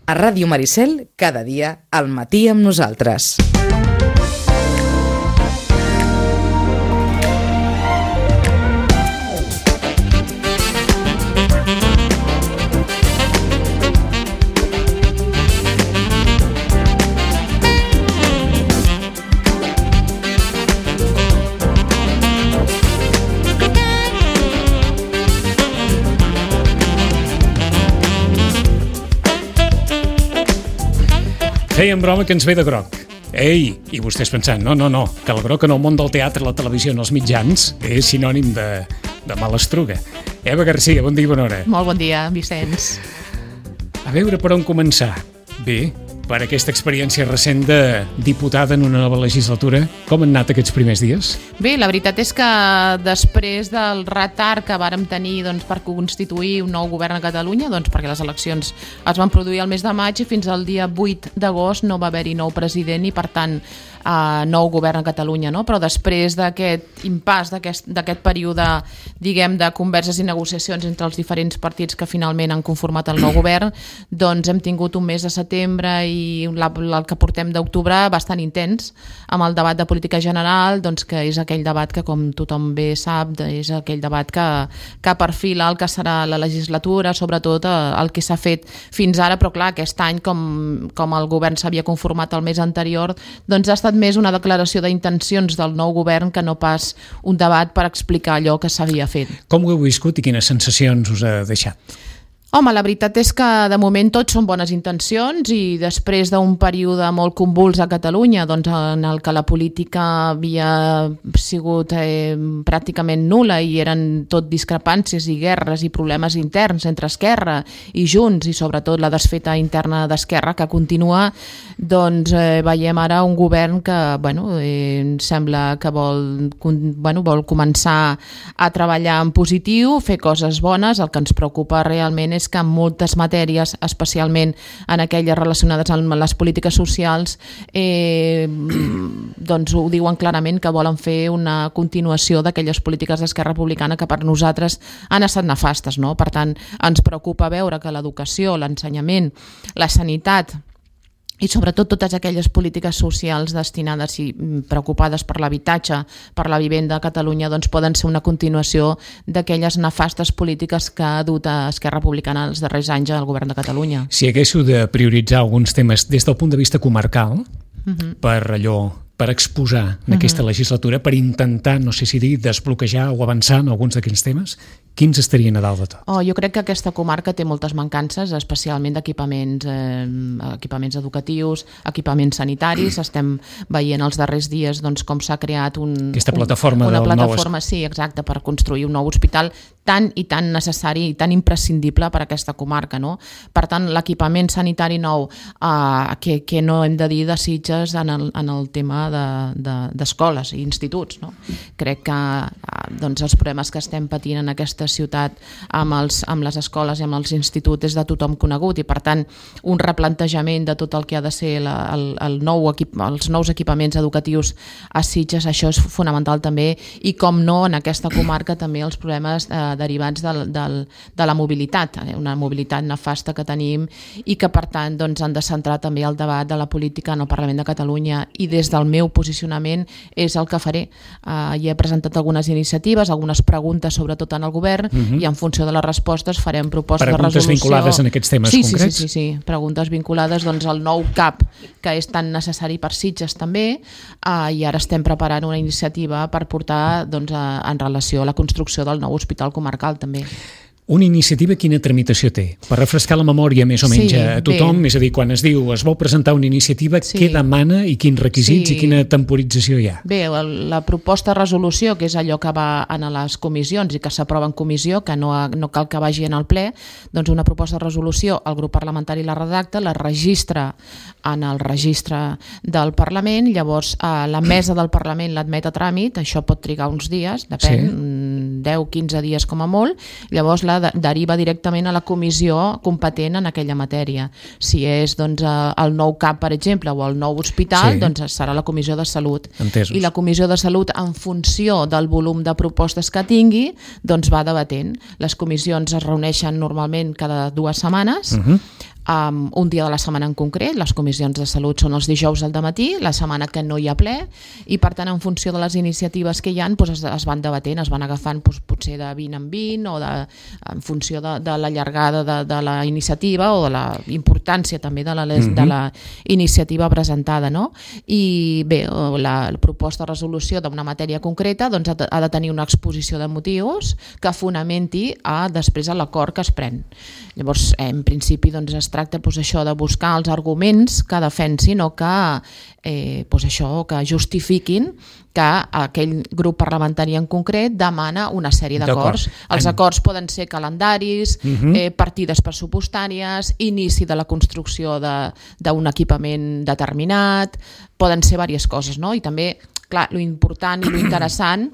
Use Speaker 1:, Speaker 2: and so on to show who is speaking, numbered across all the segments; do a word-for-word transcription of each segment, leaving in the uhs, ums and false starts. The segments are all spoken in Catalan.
Speaker 1: A Ràdio Maricel, cada dia, al matí amb nosaltres.
Speaker 2: Fèiem broma que ens ve de groc. Ei, i vostès pensant, no, no, no, que el groc en el món del teatre, la televisió i els mitjans és sinònim de, de malastruga. Eva Garcia, bon dia i bona hora.
Speaker 3: Molt bon dia, Vicenç.
Speaker 2: A veure per on començar. Bé, per aquesta experiència recent de diputada en una nova legislatura, com han anat aquests primers dies?
Speaker 3: Bé, la veritat és que després del retard que vàrem tenir doncs, per constituir un nou govern a Catalunya, doncs, perquè les eleccions es van produir el mes de maig i fins al dia vuit d'agost no va haver-hi nou president i, per tant, Uh, nou govern a Catalunya, no? Però després d'aquest impàs, d'aquest, d'aquest període, diguem, de converses i negociacions entre els diferents partits que finalment han conformat el nou govern, doncs hem tingut un mes de setembre i la, el que portem d'octubre bastant intens, amb el debat de política general, doncs, que és aquell debat que, com tothom bé sap, és aquell debat que, que perfila el que serà la legislatura, sobretot el que s'ha fet fins ara, però clar, aquest any, com, com el govern s'havia conformat el mes anterior, doncs ha estat més una declaració d'intencions del nou govern que no pas un debat per explicar allò que s'havia fet.
Speaker 2: Com ho heu viscut i quines sensacions us ha deixat?
Speaker 3: Home, la veritat és que de moment tot són bones intencions i després d'un període molt convuls a Catalunya, doncs en el que la política havia sigut eh, pràcticament nul·la i eren tot discrepàncies i guerres i problemes interns entre Esquerra i Junts i sobretot la desfeta interna d'Esquerra que continua, doncs eh, veiem ara un govern que bueno, eh, sembla que vol, bueno, vol començar a treballar en positiu, fer coses bones. El que ens preocupa realment és que en moltes matèries, especialment en aquelles relacionades amb les polítiques socials, eh, doncs ho diuen clarament que volen fer una continuació d'aquelles polítiques d'Esquerra Republicana que per nosaltres han estat nefastes, no? Per tant, ens preocupa veure que l'educació, l'ensenyament, la sanitat i sobretot totes aquelles polítiques socials destinades i preocupades per l'habitatge, per la vivenda a Catalunya, doncs poden ser una continuació d'aquelles nefastes polítiques que ha dut a Esquerra Republicana els darrers anys al govern de Catalunya.
Speaker 2: Si haguéssiu de prioritzar alguns temes des del punt de vista comarcal, uh-huh. per allò per exposar en aquesta uh-huh. legislatura, per intentar, no sé si dir, desbloquejar o avançar en alguns d'aquests temes, quins estarien a dalt de tot?
Speaker 3: Oh, jo crec que aquesta comarca té moltes mancances, especialment d'equipaments eh, equipaments educatius, equipaments sanitaris. Estem veient els darrers dies doncs, com s'ha creat un,
Speaker 2: aquesta plataforma,
Speaker 3: un, una
Speaker 2: del
Speaker 3: plataforma
Speaker 2: nou...
Speaker 3: sí, exacte, per construir un nou hospital tan i tan necessari i tan imprescindible per a aquesta comarca, no? Per tant, l'equipament sanitari nou eh, que, que no hem de dir de Sitges en el, en el tema d'escoles de, de, i instituts, no? Crec que eh, doncs els problemes que estem patint en aquesta ciutat amb, els, amb les escoles i amb els instituts és de tothom conegut i per tant un replantejament de tot el que ha de ser la, el, el nou equip, els nous equipaments educatius a Sitges, això és fonamental també i com no en aquesta comarca també els problemes eh, derivats del, del, de la mobilitat, una mobilitat nefasta que tenim i que per tant doncs, han de centrar també el debat de la política en el Parlament de Catalunya i des del meu posicionament és el que faré. Uh, hi he presentat algunes iniciatives, algunes preguntes sobretot en el govern uh-huh. i en funció de les respostes farem propostes
Speaker 2: preguntes
Speaker 3: de resolució.
Speaker 2: Preguntes vinculades en aquests temes
Speaker 3: sí,
Speaker 2: concrets?
Speaker 3: Sí, sí, sí, sí, preguntes vinculades doncs, al nou C A P que és tan necessari per Sitges també uh, i ara estem preparant una iniciativa per portar doncs, a, en relació a la construcció del nou hospital comarcal també.
Speaker 2: Una iniciativa quina tramitació té? Per refrescar la memòria més o menys sí, a tothom, bé. És a dir, quan es diu es vol presentar una iniciativa, sí. què demana i quins requisits sí. i quina temporització hi ha?
Speaker 3: Bé, la proposta de resolució, que és allò que va en les comissions i que s'aprova en comissió, que no, no cal que vagi en el ple, doncs una proposta de resolució, el grup parlamentari la redacta, la registra en el registre del Parlament, llavors la mesa del Parlament l'admet a tràmit, això pot trigar uns dies, depèn, sí. deu quinze dies com a molt, llavors la deriva directament a la comissió competent en aquella matèria. Si és doncs, el nou C A P, per exemple, o el nou hospital, sí. doncs serà la comissió de salut.
Speaker 2: Entesos.
Speaker 3: I la comissió de salut, en funció del volum de propostes que tingui, doncs va debatent. Les comissions es reuneixen normalment cada dues setmanes, uh-huh. um, un dia de la setmana en concret. Les comissions de salut són els dijous al dematí, la setmana que no hi ha ple, i per tant en funció de les iniciatives que hi ha doncs, es, es van debatent, es van agafant doncs, potser de vint en vint o de, en funció de, de la llargada de, de la iniciativa o de la importància també de la, mm-hmm. de la iniciativa presentada, no? I bé, la, la proposta de resolució d'una matèria concreta doncs, ha, de, ha de tenir una exposició de motius que fonamenti a, després a l'acord que es pren. Llavors, en principi doncs, es tracta doncs, això de buscar els arguments que defensin o que, eh, doncs, això, que justifiquin que aquell grup parlamentari en concret demana una sèrie d'acords. Els acords poden ser calendaris, uh-huh. eh, partides pressupostàries, inici de la construcció d'un equipament determinat, poden ser diverses coses, no? I també, clar, lo important i lo interessant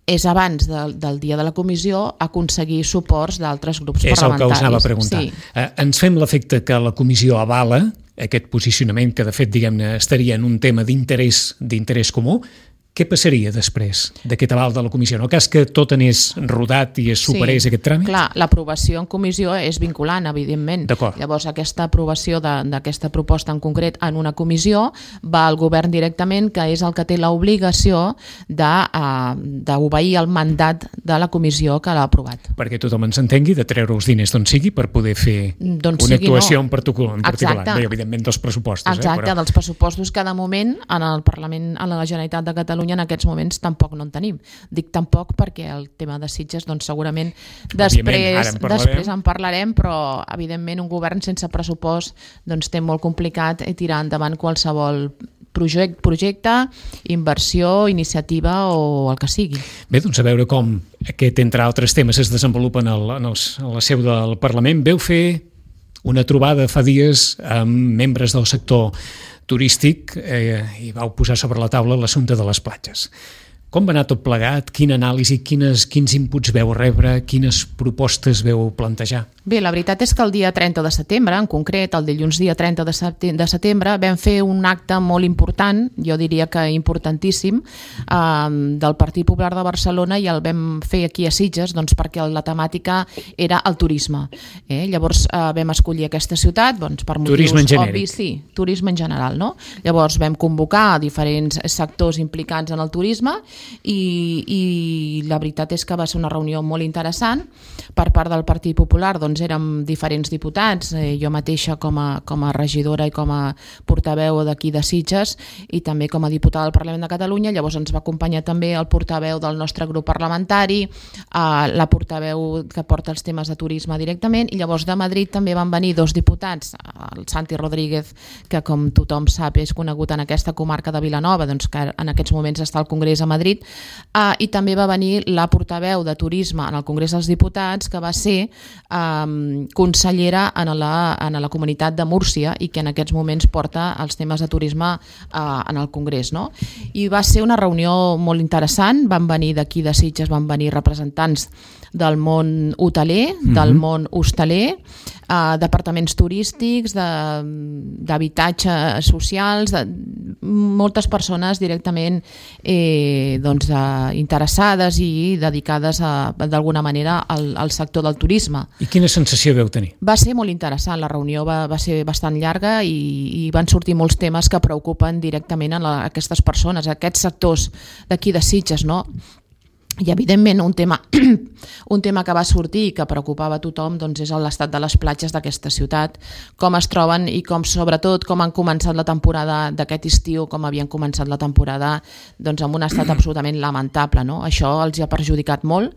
Speaker 3: és abans del, del dia de la comissió aconseguir suports d'altres grups
Speaker 2: és
Speaker 3: parlamentaris.
Speaker 2: És el que us anava a preguntar. Sí. Eh, ens fem l'efecte que la comissió avala aquest posicionament que de fet diguem-ne estaria en un tema d'interès d'interès comú. Què passaria després d'aquest aval de la comissió? En el cas que tot anés rodat i es superés sí, aquest tràmit?
Speaker 3: Clar, l'aprovació en comissió és vinculant, evidentment. Llavors, aquesta aprovació d'aquesta proposta en concret en una comissió va al govern directament, que és el que té l'obligació d'obeir el mandat de la comissió que l'ha aprovat.
Speaker 2: Perquè tothom ens entengui, de treure els diners d'on sigui per poder fer una actuació no. en particular. En particular. Bé, evidentment, dels pressupostos.
Speaker 3: Exacte, eh? Però... dels pressupostos que de moment en el Parlament, a la Generalitat de Catalunya en aquests moments tampoc no en tenim. Dic tampoc perquè el tema de Sitges doncs segurament després, en després en parlarem, però evidentment un govern sense pressupost doncs té molt complicat tirar endavant qualsevol projecte, projecte, inversió, iniciativa o el que sigui.
Speaker 2: Bé, doncs a veure com aquest, entre altres temes, es desenvolupa en, el, en, els, en la seu del Parlament. Veu fer una trobada fa dies amb membres del sector turístic eh, i vau posar sobre la taula l'assumpte de les platges. Com va anar tot plegat? Quina anàlisi, quines, quins inputs veu rebre, quines propostes veu plantejar?
Speaker 3: Bé, la veritat és que el dia trenta de setembre, en concret, el dilluns dia trenta de setembre, vam fer un acte molt important, jo diria que importantíssim, eh, del Partit Popular de Barcelona i el vam fer aquí a Sitges doncs, perquè la temàtica era el turisme. Eh? Llavors eh, vam escollir aquesta ciutat doncs, per motius
Speaker 2: turisme en genèric.
Speaker 3: Obvis, sí, turisme en general. No? Llavors vam convocar diferents sectors implicats en el turisme i, i la veritat és que va ser una reunió molt interessant. Per part del Partit Popular doncs érem diferents diputats, eh, jo mateixa com a, com a regidora i com a portaveu d'aquí de Sitges i també com a diputada del Parlament de Catalunya. Llavors ens va acompanyar també el portaveu del nostre grup parlamentari, eh, la portaveu que porta els temes de turisme directament, i llavors de Madrid també van venir dos diputats, el Santi Rodríguez, que com tothom sap és conegut en aquesta comarca de Vilanova, doncs que en aquests moments està al Congrés a Madrid, Uh, i també va venir la portaveu de turisme en el Congrés dels Diputats, que va ser um, consellera en la, en la comunitat de Múrcia i que en aquests moments porta els temes de turisme uh, en el Congrés. No? I va ser una reunió molt interessant, van venir d'aquí de Sitges, van venir representants del món hoteler, mm-hmm. del món hostaler, uh, departaments turístics, d'habitatges socials, de moltes persones directament eh, doncs, uh, interessades i dedicades d'alguna manera al, al sector del turisme.
Speaker 2: I quina sensació veu tenir?
Speaker 3: Va ser molt interessant, la reunió va, va ser bastant llarga i, i van sortir molts temes que preocupen directament a, la, a aquestes persones, a aquests sectors d'aquí de Sitges, no? I evidentment un tema, un tema que va sortir i que preocupava a tothom doncs és l'estat de les platges d'aquesta ciutat, com es troben i com sobretot com han començat la temporada d'aquest estiu, com havien començat la temporada doncs amb un estat absolutament lamentable. No? Això els ha perjudicat molt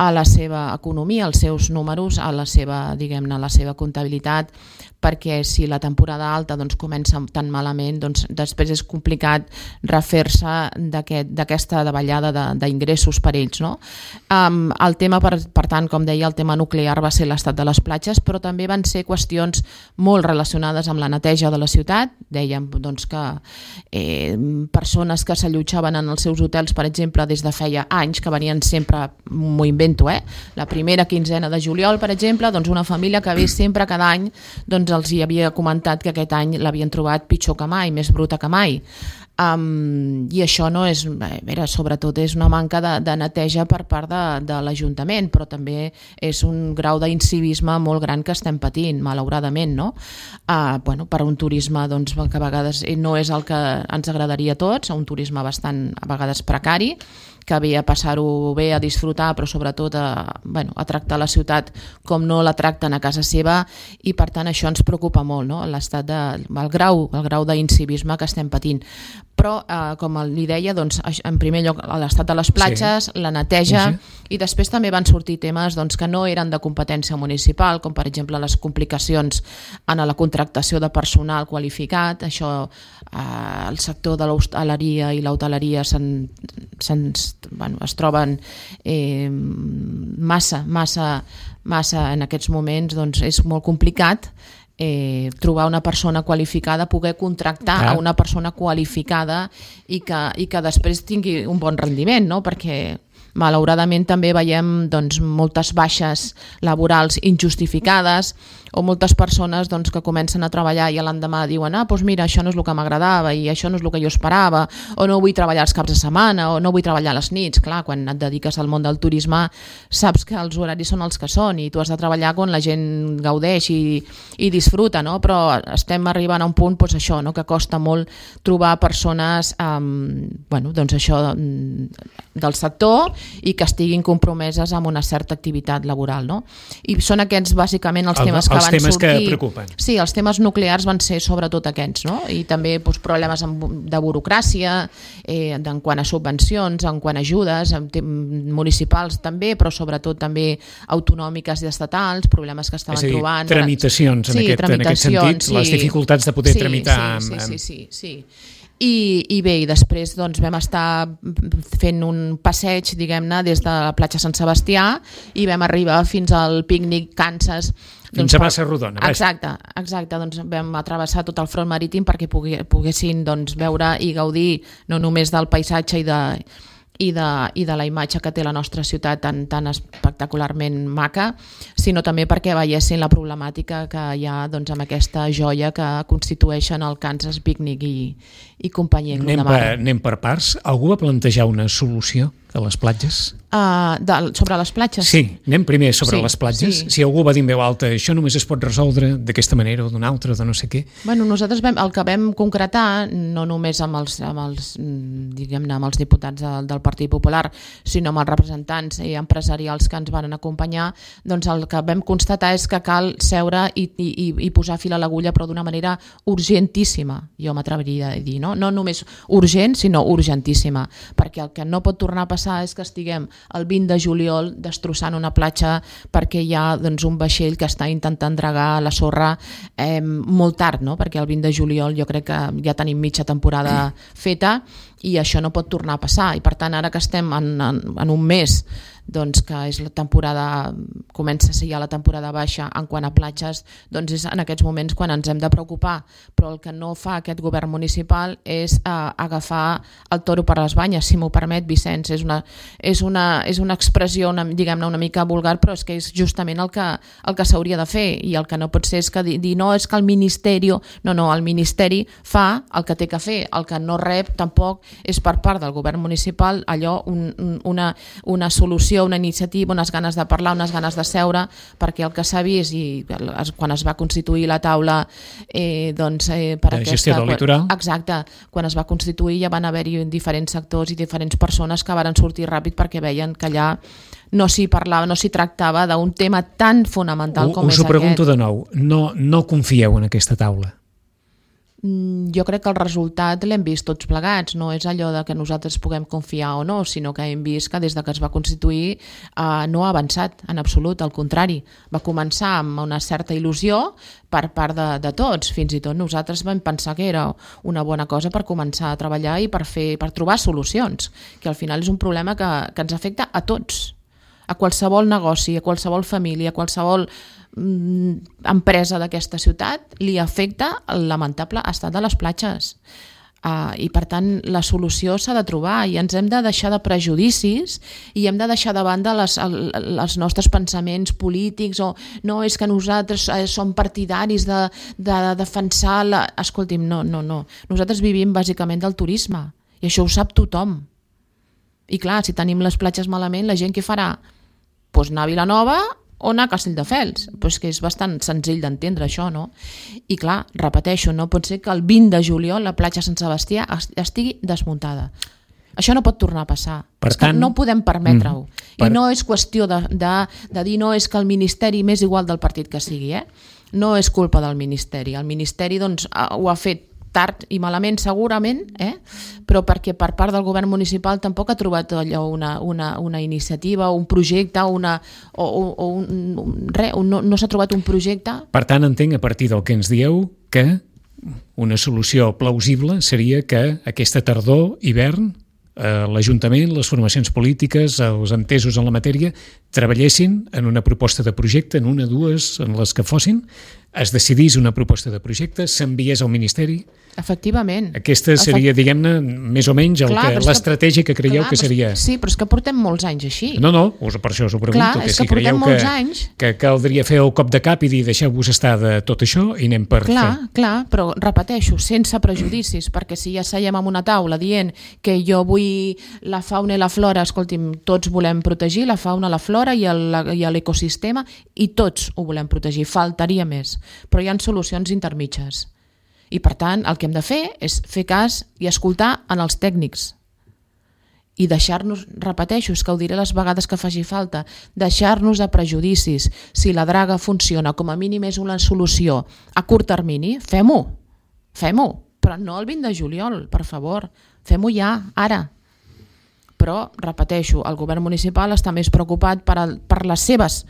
Speaker 3: a la seva economia, als seus números, a la seva, diguem-ne, a la seva comptabilitat, perquè si la temporada alta doncs, comença tan malament, doncs després és complicat refer-se d'aquesta davallada d'ingressos per ells. No? Um, el tema, per, per tant, com deia, el tema nuclear va ser l'estat de les platges, però també van ser qüestions molt relacionades amb la neteja de la ciutat. Dèiem doncs, que eh, persones que s'allotjaven en els seus hotels, per exemple, des de feia anys, que venien sempre, m'ho invento, eh? la primera quinzena de juliol, per exemple, doncs una família que ve sempre cada any doncs els hi havia comentat que aquest any l'havien trobat pitjor que mai, més bruta que mai. Um, I això no és, bé, sobretot és una manca de, de neteja per part de, de l'Ajuntament, però també és un grau d'incivisme molt gran que estem patint, malauradament, no? Uh, bueno, per un turisme doncs, que a vegades no és el que ens agradaria a tots, un turisme bastant a vegades precari, que ve a passar-ho bé, a disfrutar, però sobretot a, bueno, a tractar la ciutat com no la tracten a casa seva, i per tant això ens preocupa molt, no? L'estat de, el grau, el grau d'incivisme que estem patint. Però, eh, com li deia, doncs, en primer lloc l'estat de les platges, sí. la neteja, sí. i després també van sortir temes doncs, que no eren de competència municipal, com per exemple les complicacions en la contractació de personal qualificat. Això, eh, el sector de l'hostaleria i l'hoteleria se'n, se'n, bueno, es troben eh, massa, massa, massa en aquests moments, doncs és molt complicat Eh, trobar una persona qualificada, poder contractar Clar. a una persona qualificada i que, i que després tingui un bon rendiment, no? Perquè malauradament també veiem doncs, moltes baixes laborals injustificades, o moltes persones doncs, que comencen a treballar i l'endemà diuen ah, doncs mira, això no és el que m'agradava i això no és el que jo esperava, o no vull treballar els caps de setmana, o no vull treballar a les nits. Clar, quan et dediques al món del turisme saps que els horaris són els que són i tu has de treballar quan la gent gaudeix i, i disfruta, no? Però estem arribant a un punt doncs, això, no? que costa molt trobar persones um, bueno, doncs això, del sector i que estiguin compromeses amb una certa activitat laboral. No? I són aquests bàsicament els temes que
Speaker 2: els
Speaker 3: van
Speaker 2: temes
Speaker 3: sortir.
Speaker 2: Que preocupen.
Speaker 3: Sí, els temes nuclears van ser sobretot aquests, no? I també doncs, problemes de burocràcia, eh, en quant a subvencions, en quant a ajudes, municipals també, però sobretot també autonòmiques i estatals, problemes que estaven
Speaker 2: és a dir,
Speaker 3: trobant.
Speaker 2: Tramitacions, en,
Speaker 3: sí,
Speaker 2: aquest,
Speaker 3: tramitacions,
Speaker 2: en aquest sentit,
Speaker 3: sí.
Speaker 2: les dificultats de poder
Speaker 3: sí,
Speaker 2: tramitar.
Speaker 3: Sí,
Speaker 2: amb,
Speaker 3: sí, sí, sí, sí. I, i bé, i després doncs, vam estar fent un passeig, diguem-ne, des de la platja Sant Sebastià i vam arribar fins al pícnic Kansas.
Speaker 2: Fins doncs, a Bassa Rodona.
Speaker 3: Exacte, exacte, doncs vam atravessar tot el front marítim perquè poguessin doncs, veure i gaudir no només del paisatge i de, i de, i de la imatge que té la nostra ciutat tan, tan espectacularment maca, sinó també perquè veiessin la problemàtica que hi ha doncs, amb aquesta joia que constitueixen el Kansas Picnic i, i companyia.
Speaker 2: Anem per, anem per parts. Algú va plantejar una solució a les platges?
Speaker 3: Uh, de, sobre les platges?
Speaker 2: Sí, anem primer sobre
Speaker 3: sí,
Speaker 2: les platges.
Speaker 3: Sí.
Speaker 2: Si algú va dir en veu alta, això només es pot resoldre d'aquesta manera o d'una altra o de no sé què.
Speaker 3: Bueno, nosaltres vam, el que vam concretar, no només amb els, amb els, diguem-ne, amb els diputats del, del Partit Popular, sinó amb els representants i empresarials que ens van acompanyar, doncs el que vam constatar és que cal seure i, i, i posar fil a l'agulla, però d'una manera urgentíssima, jo m'atreviria a dir, no? No només urgent, sinó urgentíssima, perquè el que no pot tornar a passar és que estiguem el vint de juliol destrossant una platja perquè hi ha doncs, un vaixell que està intentant dragar la sorra eh, molt tard, no? Perquè el vint de juliol jo crec que ja tenim mitja temporada feta i això no pot tornar a passar, i per tant ara que estem en, en, en un mes doncs que és la temporada, comença a ser ja la temporada baixa en quant a platges, doncs és en aquests moments quan ens hem de preocupar, però el que no fa aquest govern municipal és eh, agafar el toro per les banyes, si m'ho permet, Vicenç, és una, és una, és una expressió una, diguem-ne una mica vulgar, però és que és justament el que, el que s'hauria de fer, i el que no pot ser és que dir no, és que el Ministeri, no, no, el Ministeri fa el que té que fer, el que no rep tampoc és per part del govern municipal allò, un, una, una solució, una iniciativa, unes ganes de parlar, unes ganes de seure, perquè el que s'ha vist i quan es va constituir la taula eh, doncs, eh, per
Speaker 2: de
Speaker 3: aquesta,
Speaker 2: gestió del litoral.
Speaker 3: Exacte, quan es va constituir ja van haver-hi diferents sectors i diferents persones que van sortir ràpid perquè veien que allà no s'hi parlava, no s'hi tractava d'un tema tan fonamental com
Speaker 2: us
Speaker 3: és aquest.
Speaker 2: Us ho pregunto de nou, no, no confieu en aquesta taula?
Speaker 3: Jo crec que el resultat l'hem vist tots plegats, no és allò de que nosaltres puguem confiar o no, sinó que hem vist que des de que es va constituir eh, no ha avançat en absolut, al contrari, va començar amb una certa il·lusió per part de, de tots, fins i tot nosaltres vam pensar que era una bona cosa per començar a treballar i per, fer, per trobar solucions, que al final és un problema que, que ens afecta a tots, a qualsevol negoci, a qualsevol família, a qualsevol empresa d'aquesta ciutat li afecta el lamentable estat de les platges. Uh, I per tant la solució s'ha de trobar i ens hem de deixar de prejudicis i hem de deixar de banda les, el, els nostres pensaments polítics o no, és que nosaltres eh, som partidaris de, de, de defensar la... Escolti'm, no, no, no. Nosaltres vivim bàsicament del turisme i això ho sap tothom. I clar, si tenim les platges malament, la gent què farà? Doncs anar a Vilanova o anar a Castelldefels, pues que és bastant senzill d'entendre això, no? I clar, repeteixo, no pot ser que el vint de juliol la platja Sant Sebastià estigui desmuntada. Això no pot tornar a passar. Per és tant, que no podem permetre-ho. Mm, per... I no és qüestió de, de, de dir no és que el Ministeri m'és igual del partit que sigui, eh? No és culpa del Ministeri. El Ministeri doncs, ho ha fet tard i malament segurament, eh? Però perquè per part del govern municipal tampoc ha trobat allò una, una, una iniciativa, un projecte, una, o, o, o un, un, res, no, no s'ha trobat un projecte.
Speaker 2: Per tant, entenc a partir del que ens dieu que una solució plausible seria que aquesta tardor, hivern, eh, l'Ajuntament, les formacions polítiques, els entesos en la matèria, treballessin en una proposta de projecte, en una, dues, en les que fossin, es decidís una proposta de projecte, s'enviés al Ministeri.
Speaker 3: Efectivament.
Speaker 2: Aquesta seria, Efect... diguem-ne, més o menys l'estratègia que, que creieu clar, que seria.
Speaker 3: Sí, però és que portem molts anys així.
Speaker 2: No, no, per això us ho pregunto.
Speaker 3: Clar,
Speaker 2: que
Speaker 3: és
Speaker 2: si
Speaker 3: que portem molts
Speaker 2: que,
Speaker 3: anys.
Speaker 2: Que caldria fer el cop de cap i dir deixeu-vos estar de tot això i anem per
Speaker 3: clar,
Speaker 2: fer.
Speaker 3: Clar, però repeteixo, sense prejudicis, perquè si ja seiem en una taula dient que jo vull la fauna i la flora, escolti'm, tots volem protegir la fauna, la flora i l'ecosistema i tots ho volem protegir, faltaria més. Però hi ha solucions intermitges. I per tant, el que hem de fer és fer cas i escoltar en els tècnics. I deixar-nos, repeteixo, és que ho diré les vegades que faci falta, deixar-nos de prejudicis. Si la draga funciona, com a mínim és una solució a curt termini, fem-ho, fem-ho, però no el vint de juliol, per favor, fem-ho ja, ara. Però, repeteixo, el govern municipal està més preocupat per, el, per les seves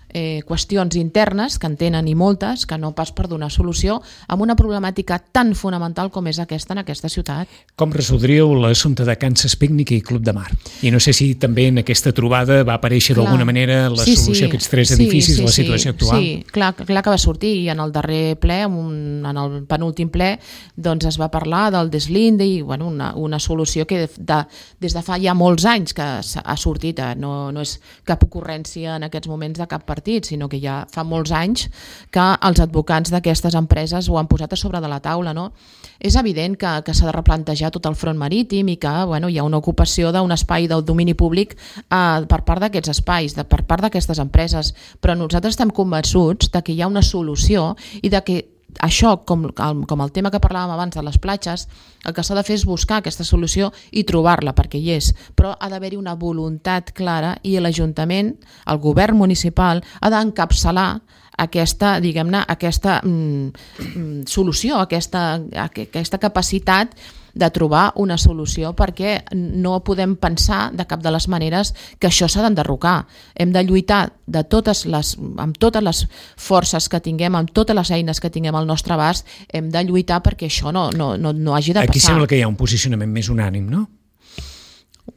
Speaker 3: Eh, qüestions internes, que en tenen i moltes, que no pas per donar solució amb una problemàtica tan fonamental com és aquesta en aquesta ciutat.
Speaker 2: Com resoldríeu l'assumpte de Kansas Picnic i Club de Mar? I no sé si també en aquesta trobada va aparèixer d'alguna manera la
Speaker 3: sí,
Speaker 2: solució
Speaker 3: sí.
Speaker 2: a aquests tres edificis,
Speaker 3: sí, sí,
Speaker 2: la situació
Speaker 3: sí,
Speaker 2: actual.
Speaker 3: Sí, clar, clar que va sortir i en el darrer ple, en el penúltim ple, doncs es va parlar del deslinde i bueno, una, una solució que de, des de fa ja molts anys que ha sortit, eh? no, no és cap ocurrència en aquests moments de cap partit, sinó que ja fa molts anys que els advocats d'aquestes empreses ho han posat a sobre de la taula, no? És evident que, que s'ha de replantejar tot el front marítim i que bueno, hi ha una ocupació d'un espai del domini públic eh, per part d'aquests espais, de, per part d'aquestes empreses, però nosaltres estem convençuts de que hi ha una solució i de que això, com, com el tema que parlàvem abans de les platges, el que s'ha de fer és buscar aquesta solució i trobar-la, perquè hi és, però ha d'haver-hi una voluntat clara i l'Ajuntament, el govern municipal, ha d'encapçalar aquesta, diguem-ne, aquesta mm, solució, aquesta, aquesta capacitat de trobar una solució, perquè no podem pensar de cap de les maneres que això s'ha d'enderrocar. Hem de lluitar de totes les, amb totes les forces que tinguem, amb totes les eines que tinguem al nostre abast, hem de lluitar perquè això no, no, no, no hagi de passar.
Speaker 2: Aquí sembla que hi ha un posicionament més unànim, no?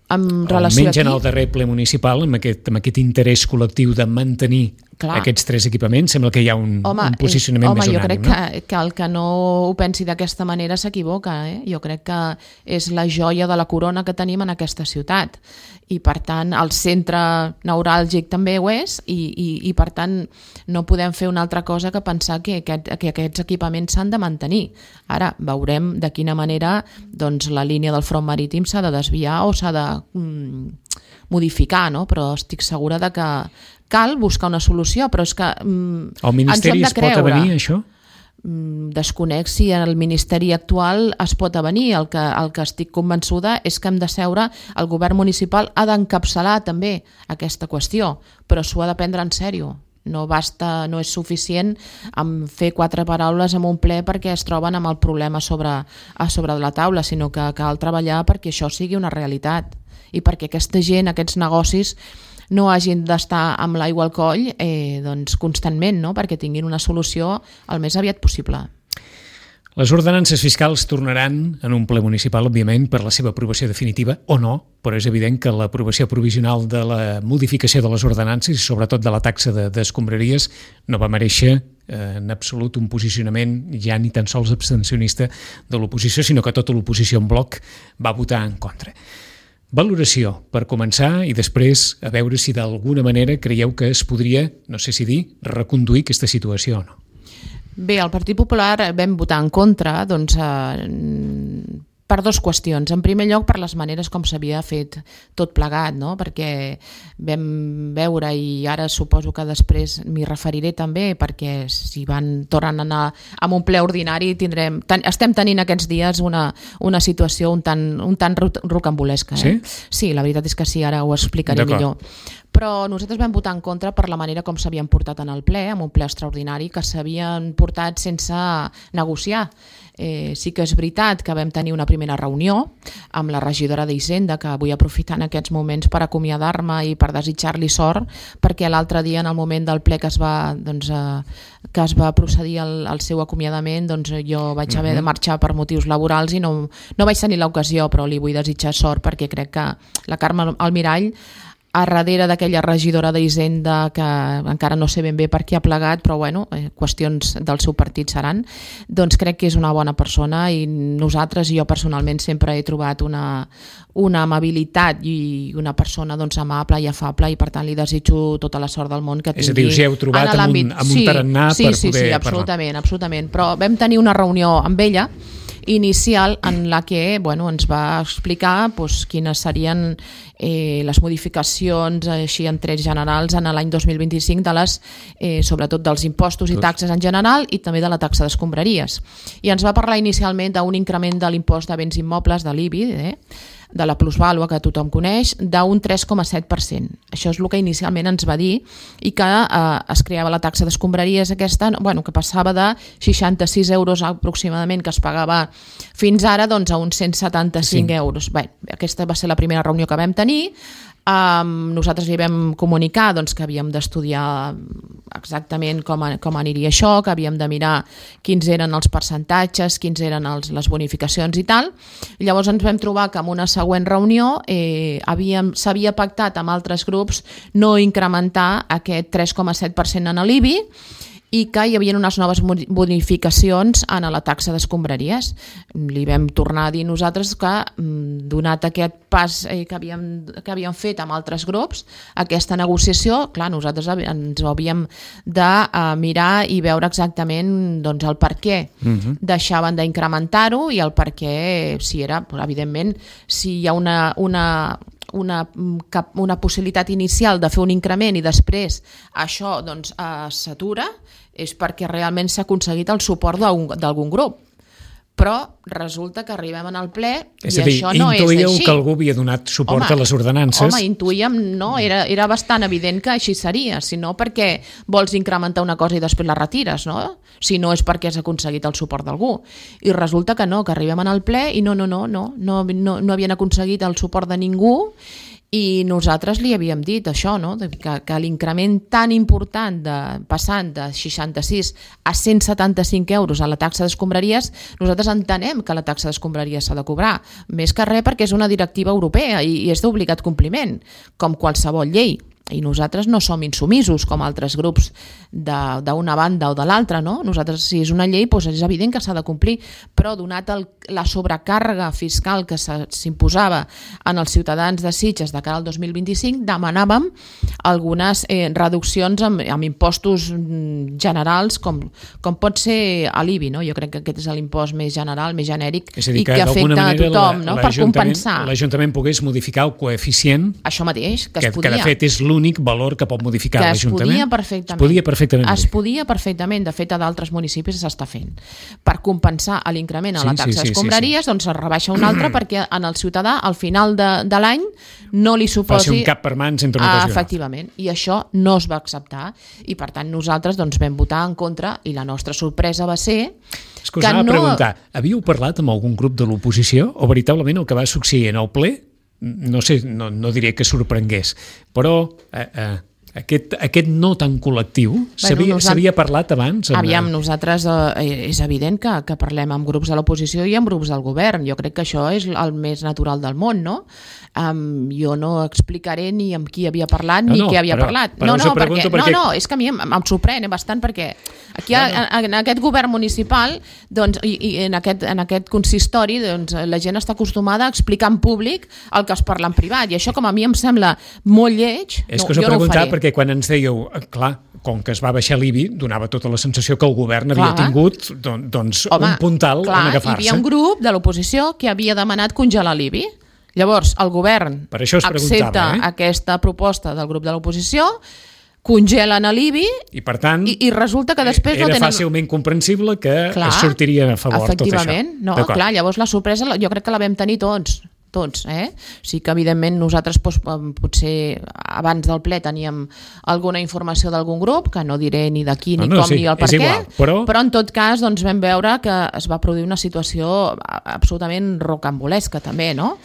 Speaker 3: Amb relació
Speaker 2: almenys en el darrer ple municipal, amb aquest, amb aquest interès col·lectiu de mantenir Clar. aquests tres equipaments, sembla que hi ha un,
Speaker 3: home,
Speaker 2: un posicionament
Speaker 3: és, home,
Speaker 2: més unànim.
Speaker 3: Home, jo crec
Speaker 2: no?
Speaker 3: que, que el que no ho pensi d'aquesta manera s'equivoca. Eh? Jo crec que és la joia de la corona que tenim en aquesta ciutat. I per tant el centre neuràlgic també ho és i, i, i per tant no podem fer una altra cosa que pensar que, que, que aquests equipaments s'han de mantenir. Ara veurem de quina manera doncs, la línia del front marítim s'ha de desviar o s'ha de mm, modificar, no? Però estic segura de que cal buscar una solució, però és que mm,
Speaker 2: el Ministeri es pot avenir, això?
Speaker 3: Desconec si el Ministeri actual es pot avenir. El que, el que estic convençuda és que hem de seure, el govern municipal ha d'encapçalar també aquesta qüestió, però s'ho ha de prendre en sèrio. No basta, no és suficient amb fer quatre paraules en un ple perquè es troben amb el problema sobre, a sobre de la taula, sinó que cal treballar perquè això sigui una realitat i perquè aquesta gent, aquests negocis no hagin d'estar amb l'aigua al coll eh, doncs constantment, no? Perquè tinguin una solució el més aviat possible.
Speaker 2: Les ordenances fiscals tornaran en un ple municipal, òbviament, per la seva aprovació definitiva o no, però és evident que l'aprovació provisional de la modificació de les ordenances i sobretot de la taxa de, d'escombraries no va mereixer eh, en absolut un posicionament ja ni tan sols abstencionista de l'oposició, sinó que tota l'oposició en bloc va votar en contra. Valoració, per començar, i després a veure si d'alguna manera creieu que es podria, no sé si dir, reconduir aquesta situació o no.
Speaker 3: Bé, el Partit Popular vam votar en contra, doncs, eh, per dues qüestions. En primer lloc, per les maneres com s'havia fet tot plegat, no? Perquè vam veure, i ara suposo que després m'hi referiré també, perquè si van tornant a anar amb un ple ordinari tindrem, ten, estem tenint aquests dies una, una situació un tant, un tant rocambolesca. Eh?
Speaker 2: Sí?
Speaker 3: Sí, la veritat és que sí, ara ho explicaré millor. Però nosaltres vam votar en contra per la manera com s'havien portat en el ple, amb un ple extraordinari que s'havien portat sense negociar. Eh, sí que és veritat que vam tenir una primera reunió amb la regidora d'Hisenda, que vull aprofitar en aquests moments per acomiadar-me i per desitjar-li sort, perquè l'altre dia, en el moment del ple que es va, doncs, eh, que es va procedir al, al seu acomiadament, doncs jo vaig haver de marxar per motius laborals i no, no vaig tenir l'ocasió, però li vull desitjar sort perquè crec que la Carme Almirall, a darrere d'aquella regidora d'Hisenda, que encara no sé ben bé per què ha plegat, però bueno, eh, qüestions del seu partit seran, doncs crec que és una bona persona i nosaltres, i jo personalment, sempre he trobat una, una amabilitat i una persona doncs, amable i afable, i per tant li desitjo tota la sort del món que tingui.
Speaker 2: És a dir, us hi heu trobat amb un, amb un tarannà
Speaker 3: sí,
Speaker 2: per
Speaker 3: sí,
Speaker 2: poder
Speaker 3: sí,
Speaker 2: parlar.
Speaker 3: absolutament, absolutament. Però vam tenir una reunió amb ella inicial en la que bueno, ens va explicar doncs, quines serien eh, les modificacions així en trets generals en l'any dos mil vint-i-cinc de les, eh, sobretot dels impostos i taxes en general i també de la taxa d'escombraries. I ens va parlar inicialment d'un increment de l'impost de béns immobles, de l'I B I, eh, de la plusvàlua que tothom coneix, d'un tres coma set per cent. Això és el que inicialment ens va dir, i que eh, es creava la taxa d'escombraries aquesta, bueno, que passava de seixanta-sis euros aproximadament que es pagava fins ara doncs, a uns cent setanta-cinc sí. euros. Bé, aquesta va ser la primera reunió que vam tenir. Um, nosaltres li vam comunicar doncs, que havíem d'estudiar exactament com, a, com aniria això, que havíem de mirar quins eren els percentatges, quins eren els, les bonificacions i tal. Llavors ens vam trobar que en una següent reunió eh, havíem, s'havia pactat amb altres grups no incrementar aquest tres coma set per cent en l'I B I i que hi havia unes noves bonificacions en la taxa d'escombraries. Li vam tornar a dir nosaltres que, donat aquest pas que havíem, que havíem fet amb altres grups, aquesta negociació, clar, nosaltres ens havíem de mirar i veure exactament doncs, el per què uh-huh. deixaven d'incrementar-ho i el per què, si era, evidentment, si hi ha una... una Una, una possibilitat inicial de fer un increment i després això doncs, eh, s'atura, és perquè realment s'ha aconseguit el suport d'algun grup. Però resulta que arribem al ple
Speaker 2: és
Speaker 3: i
Speaker 2: a dir,
Speaker 3: això no és així.
Speaker 2: intuïeu que algú havia donat suport
Speaker 3: home,
Speaker 2: a les ordenances.
Speaker 3: Home, intuïem, no, era, era bastant evident que així seria, si no perquè vols incrementar una cosa i després la retires, no? Si no és perquè has aconseguit el suport d'algú. I resulta que no, que arribem al ple i no, no, no, no, no, no, no havien aconseguit el suport de ningú. I nosaltres li havíem dit això, no? que, que l'increment tan important de, passant de seixanta-sis a cent setanta-cinc euros a la taxa d'escombraries, nosaltres entenem que la taxa d'escombraries s'ha de cobrar, més que res perquè és una directiva europea i, i és d'obligat compliment, com qualsevol llei. I nosaltres no som insumisos com altres grups d'una banda o de l'altra, no? Nosaltres, si és una llei, doncs és evident que s'ha de complir, però donat el, la sobrecàrrega fiscal que s'imposava en els ciutadans de Sitges de cara al dos mil vint-i-cinc, demanàvem algunes eh, reduccions amb, amb impostos generals, com, com pot ser l'I B I, no? Jo crec que aquest és l'impost més general, més genèric,
Speaker 2: és a dir,
Speaker 3: i que, que afecta a tothom,
Speaker 2: la,
Speaker 3: no? Per compensar.
Speaker 2: L'Ajuntament pogués modificar el coeficient,
Speaker 3: això mateix, que,
Speaker 2: que
Speaker 3: es podia.
Speaker 2: Que de fet és l'únic valor que pot modificar l'Ajuntament.
Speaker 3: Que es podia perfectament.
Speaker 2: Es podia perfectament.
Speaker 3: Es podia perfectament. De fet, a d'altres municipis s'està fent. Per compensar l'increment a la
Speaker 2: sí,
Speaker 3: taxa
Speaker 2: sí,
Speaker 3: d'escombraries, sí, sí. doncs es rebaixa un altre perquè en el ciutadà, al final de, de l'any, no li suposi...
Speaker 2: Faci un cap per mans entre una cosa i una altra.
Speaker 3: Efectivament. I això no es va acceptar. I, per tant, nosaltres doncs, vam votar en contra i la nostra sorpresa va ser...
Speaker 2: És que us anava no... a preguntar, havíeu parlat amb algun grup de l'oposició o veritablement el que va succeir en el ple, no sé, no, no diré que sorprengués, però... Eh, eh, Aquest, aquest no tan col·lectiu s'havia
Speaker 3: Bueno, nosaltres-
Speaker 2: parlat abans? Amb...
Speaker 3: Aviam, nosaltres eh, és evident que, que parlem amb grups de l'oposició i amb grups del govern. Jo crec que això és el més natural del món, no? Um, jo no explicaré ni amb qui havia parlat
Speaker 2: No,
Speaker 3: ni
Speaker 2: no,
Speaker 3: què havia
Speaker 2: però-
Speaker 3: parlat.
Speaker 2: però
Speaker 3: no,
Speaker 2: us
Speaker 3: no,
Speaker 2: ho pregunto
Speaker 3: perquè,
Speaker 2: perquè-
Speaker 3: no, no, és que a mi em, em sorprèn eh, bastant perquè aquí ha, en, en aquest govern municipal doncs, i, i en, aquest, en aquest consistori doncs, la gent està acostumada a explicar en públic el que es parla en privat i això com a mi em sembla molt lleig.
Speaker 2: És
Speaker 3: no,
Speaker 2: que us ho
Speaker 3: jo no ho
Speaker 2: preguntava
Speaker 3: faré.
Speaker 2: perquè quan ens dèieu, eh, clar, com que es va baixar l'I B I, donava tota la sensació que el govern havia
Speaker 3: Clar.
Speaker 2: tingut don, doncs,
Speaker 3: Home,
Speaker 2: un puntal
Speaker 3: clar,
Speaker 2: on
Speaker 3: hi havia
Speaker 2: agafar-se.
Speaker 3: un grup de l'oposició que havia demanat congelar l'I B I. Llavors, el govern
Speaker 2: Per això us
Speaker 3: accepta
Speaker 2: preguntava, eh?
Speaker 3: aquesta proposta del grup de l'oposició, congelen a l'I B I
Speaker 2: I per tant,
Speaker 3: i, i resulta que després
Speaker 2: era
Speaker 3: no tenen...
Speaker 2: fàcilment comprensible que
Speaker 3: Clar,
Speaker 2: es sortiria a favor tot això.
Speaker 3: efectivament, no,
Speaker 2: D'acord.
Speaker 3: clar, llavors la sorpresa la- jo crec que la vam tenir tots, tots, eh? Sí que evidentment nosaltres doncs, potser abans del ple teníem alguna informació d'algun grup, que no diré ni de qui, ni
Speaker 2: No, no,
Speaker 3: com,
Speaker 2: sí,
Speaker 3: ni el per
Speaker 2: és
Speaker 3: què,
Speaker 2: igual, però-
Speaker 3: però en tot cas doncs, vam veure que es va produir una situació absolutament rocambolesca també, no?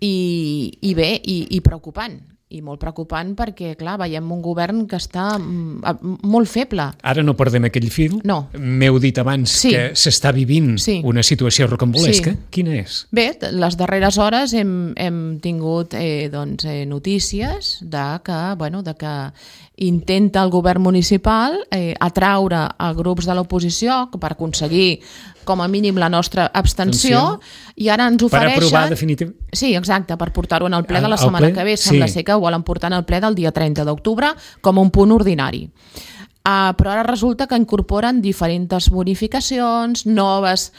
Speaker 3: I, i bé, i, i preocupant, i molt preocupant perquè, clar, veiem un govern que està mm, a- molt feble.
Speaker 2: Ara no perdem aquell fil.
Speaker 3: No.
Speaker 2: M'heu dit abans
Speaker 3: Sí.
Speaker 2: que s'està vivint
Speaker 3: Sí.
Speaker 2: una situació rocambolesca.
Speaker 3: Sí.
Speaker 2: Quina és?
Speaker 3: Bé, t- les darreres hores hem, hem tingut eh, doncs, eh, notícies de que, bueno, de que intenta el govern municipal eh, atraure a grups de l'oposició per aconseguir com a mínim la nostra abstenció
Speaker 2: Abstenció.
Speaker 3: i ara ens
Speaker 2: Per
Speaker 3: ofereixen...
Speaker 2: aprovar definitivament.
Speaker 3: Sí, exacte, per portar-ho en el ple de la
Speaker 2: Al- al
Speaker 3: setmana
Speaker 2: ple?
Speaker 3: que ve. Sembla
Speaker 2: Sí.
Speaker 3: ser que ho volen portar en el ple del dia trenta d'octubre com un punt ordinari. Uh, però ara resulta que incorporen diferents bonificacions, noves,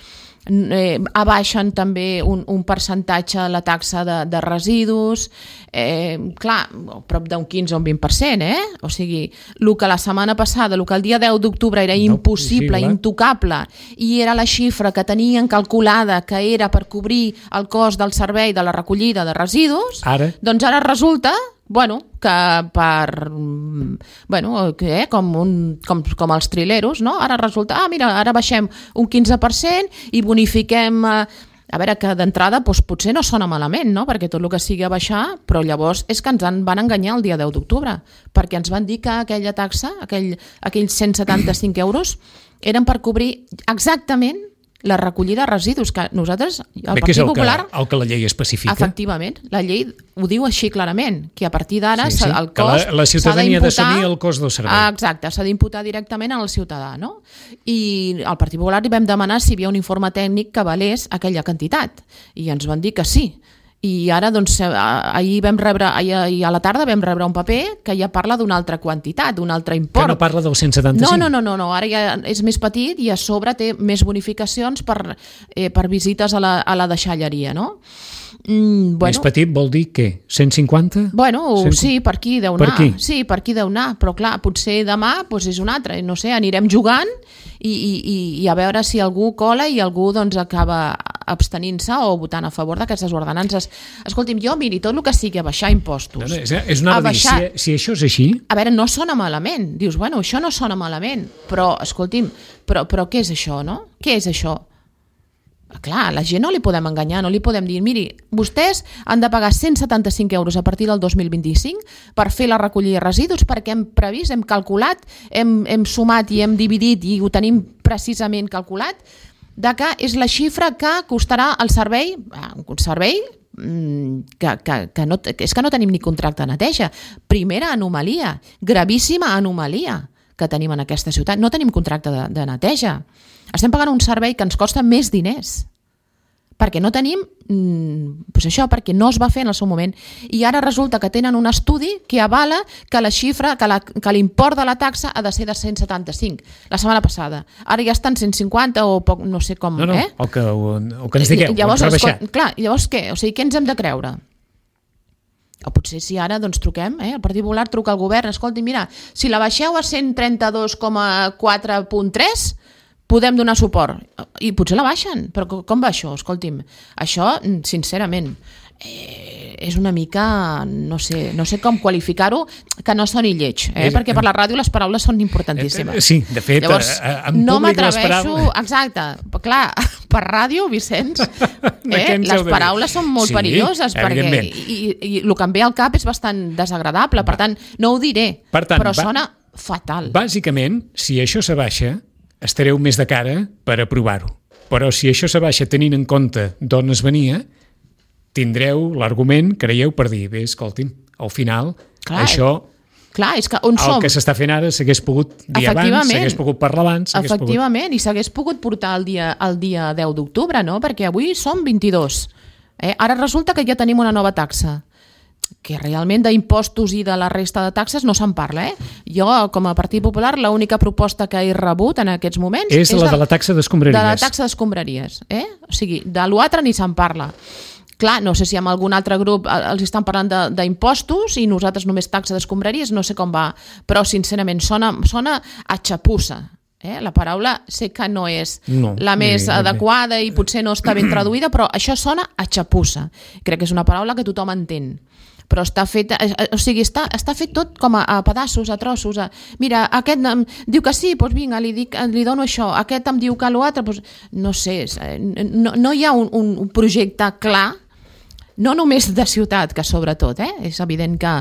Speaker 3: eh, abaixen també un, un percentatge la taxa de, de residus, eh, clar, prop d'un quinze o un vint per cent, eh? O sigui, el que la setmana passada, el que el dia deu d'octubre era
Speaker 2: No,
Speaker 3: impossible,
Speaker 2: possible.
Speaker 3: intocable, i era la xifra que tenien calculada que era per cobrir el cost del servei de la recollida de residus,
Speaker 2: Ara?
Speaker 3: doncs ara resulta bueno, que per mm, bueno, que, eh, com, un, com, com els trileros, no? Ara resulta, ah, mira, ara baixem un quinze per cent i bonifiquem eh, a veure, que d'entrada doncs, potser no sona malament, no? Perquè tot el que sigui a baixar, però llavors és que ens en van enganyar el dia deu d'octubre, perquè ens van dir que aquella taxa, aquell, aquells cent setanta-cinc euros, eren per cobrir exactament la recollida de residus, que nosaltres, el
Speaker 2: Bé, que és
Speaker 3: Partit
Speaker 2: el
Speaker 3: Popular...
Speaker 2: que, el que la llei especifica.
Speaker 3: Efectivament, la llei ho diu així clarament, que a partir d'ara
Speaker 2: Sí, sí,
Speaker 3: el
Speaker 2: que
Speaker 3: cost
Speaker 2: la- la
Speaker 3: s'ha
Speaker 2: ciutadania ha
Speaker 3: d'imputar-
Speaker 2: d'assumir el cost del servei.
Speaker 3: Ah, exacte, s'ha d'imputar directament al ciutadà, no? I al Partit Popular li vam demanar si hi havia un informe tècnic que valés aquella quantitat, i ens van dir que sí. I ara, doncs, eh, ahir vam rebre, ahir, ahir a la tarda vam rebre un paper que ja parla d'una altra quantitat, d'un altre
Speaker 2: Que
Speaker 3: import.
Speaker 2: no parla del cent setanta-cinc.
Speaker 3: No, no, no, no, no, ara ja és més petit i a sobre té més bonificacions per, eh, per visites a la, a la deixalleria, no? Mm, bueno,
Speaker 2: Més petit vol dir què? cent cinquanta?
Speaker 3: Bueno,
Speaker 2: cent...
Speaker 3: sí, per aquí deu
Speaker 2: Per
Speaker 3: anar.
Speaker 2: aquí?
Speaker 3: Sí, per aquí deu anar, però clar, potser demà doncs és un altre, no sé, anirem jugant i, i, i, i a veure si algú cola i algú doncs acaba abstenint-se o votant a favor d'aquestes ordenances. Escolti'm, jo, miri, tot el que sigui a baixar impostos...
Speaker 2: No, no, és, és una
Speaker 3: a
Speaker 2: dir,
Speaker 3: baixar-
Speaker 2: si, si això és així,
Speaker 3: A veure, no sona malament. Dius, bueno, això no sona malament, però, escolti'm, però, però què és això, no? Què és això? Clar, a la gent no li podem enganyar, no li podem dir, miri, vostès han de pagar cent setanta-cinc euros a partir del dos mil vint-i-cinc per fer la recollida de residus perquè hem previst, hem calculat, hem, hem sumat i hem dividit i ho tenim precisament calculat, de que és la xifra que costarà el servei, un servei mm, que, que, que, no, que és que no tenim ni contracte de neteja. Primera anomalia, gravíssima anomalia que tenim en aquesta ciutat. No tenim contracte de, de neteja. Estem pagant un servei que ens costa més diners perquè no tenim, mm, doncs això, perquè no es va fer en el seu moment. I ara resulta que tenen un estudi que avala que la xifra, que, la, que l'import de la taxa ha de ser de cent setanta-cinc, la setmana passada. Ara ja està en cent cinquanta o poc, no sé com,
Speaker 2: no, no,
Speaker 3: eh?
Speaker 2: el, que, el que ens digueu,
Speaker 3: Llavors,
Speaker 2: ho hem rebaixat.
Speaker 3: escol- clar, llavors què? O sigui, què ens hem de creure? O potser si ara doncs, truquem, eh? El Partit Popular truca al govern, escolti, mira, si la baixeu a cent trenta-dos coma quatre punt tres, podem donar suport. I potser la baixen, però com va això? Escolti'm, això, sincerament, eh, és una mica, no sé, no sé com qualificar-ho, que no soni lleig, eh? És, perquè per la ràdio les paraules són importantíssimes.
Speaker 2: Sí, de fet,
Speaker 3: llavors,
Speaker 2: en
Speaker 3: no
Speaker 2: públic les
Speaker 3: paraules...
Speaker 2: paraules...
Speaker 3: Exacte, clar, per ràdio, Vicenç, eh, les paraules són molt
Speaker 2: sí,
Speaker 3: perilloses, perquè i, i el que em ve al cap és bastant desagradable, per tant, no ho diré, per tant, però sona fatal.
Speaker 2: Bàsicament, si això s'abaixa, estareu més de cara per aprovar-ho. Però si això s'abaixa tenint en compte d'on es venia, tindreu l'argument, creieu, per dir, bé, escolti'm, al final, clar, això,
Speaker 3: clar, és que on
Speaker 2: el
Speaker 3: som?
Speaker 2: que s'està fent ara s'hagués pogut dir abans, s'hagués pogut parlar abans...
Speaker 3: Efectivament,
Speaker 2: pogut...
Speaker 3: i s'hagués pogut portar el dia, el dia deu d'octubre, no? Perquè avui som vint-i-dos. Eh? Ara resulta que ja tenim una nova taxa, que realment d'impostos i de la resta de taxes no se'n parla. Eh? Jo, com a Partit Popular, l'única proposta que he rebut en aquests moments...
Speaker 2: És, és la de la taxa d'escombraries.
Speaker 3: De la taxa d'escombraries. Eh? O sigui, de l'altre ni se'n parla. Clar, no sé si amb algun altre grup els estan parlant d'impostos i nosaltres només taxa d'escombraries, no sé com va, però sincerament sona, sona a xapussa. Eh? La paraula sé que no és
Speaker 2: no,
Speaker 3: la més
Speaker 2: bé,
Speaker 3: adequada
Speaker 2: bé.
Speaker 3: I potser no està ben traduïda, però això sona a xapussa. Crec que és una paraula que tothom entén. Però està fet, o sigui, està, està fet tot com a, a pedaços, a trossos. A, mira, aquest em diu que sí, doncs vinga, li, dic, li dono això. Aquest em diu que l'altre, doncs, no sé, no, no hi ha un, un projecte clar, no només de ciutat, que sobretot, eh? És evident que